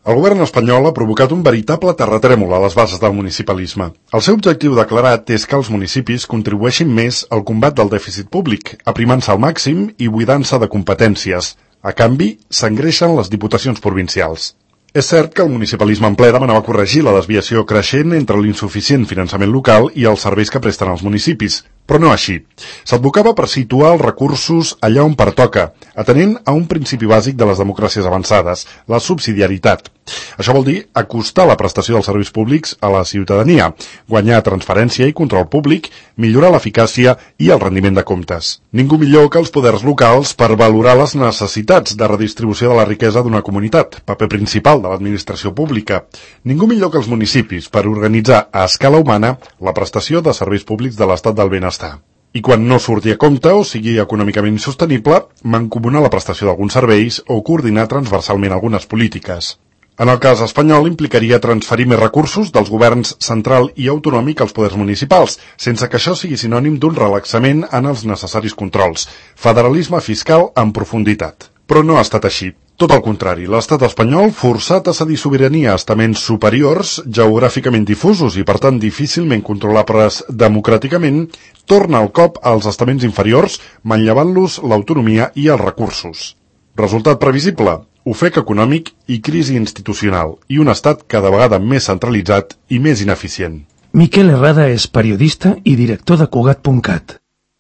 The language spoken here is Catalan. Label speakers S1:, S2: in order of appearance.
S1: El govern espanyol ha provocat un veritable terratrèmol a les bases del municipalisme. El seu objectiu declarat és que els municipis contribueixin més al combat del dèficit públic, aprimant-se al màxim i buidant-se de competències. A canvi, s'engreixen les diputacions provincials. És cert que el municipalisme en ple demanava corregir la desviació creixent entre l'insuficient finançament local i els serveis que presten els municipis, però no així. S'advocava per situar els recursos allà on pertoca, atenent a un principi bàsic de les democràcies avançades, la subsidiaritat. Això vol dir acostar la prestació dels serveis públics a la ciutadania, guanyar transparència i control públic, millorar l'eficàcia i el rendiment de comptes. Ningú millor que els poders locals per valorar les necessitats de redistribució de la riquesa d'una comunitat, paper principal de l'administració pública. Ningú millor que els municipis per organitzar a escala humana la prestació de serveis públics de l'estat del benestar. I quan no surti a compte o sigui econòmicament insostenible, mancomunar la prestació d'alguns serveis o coordinar transversalment algunes polítiques. En el cas espanyol implicaria transferir més recursos dels governs central i autonòmic als poders municipals, sense que això sigui sinònim d'un relaxament en els necessaris controls. Federalisme fiscal en profunditat. Però no ha estat així. Tot el contrari, l'estat espanyol, forçat a cedir sobirania a estaments superiors, geogràficament difusos i per tant difícilment controlables democràticament, torna el cop als estaments inferiors, manllevant-los l'autonomia i els recursos. Resultat previsible? Ofec econòmic i crisi institucional, i un estat cada vegada més centralitzat i més ineficient.
S2: Miquel Herrada és periodista i director de Cugat.cat.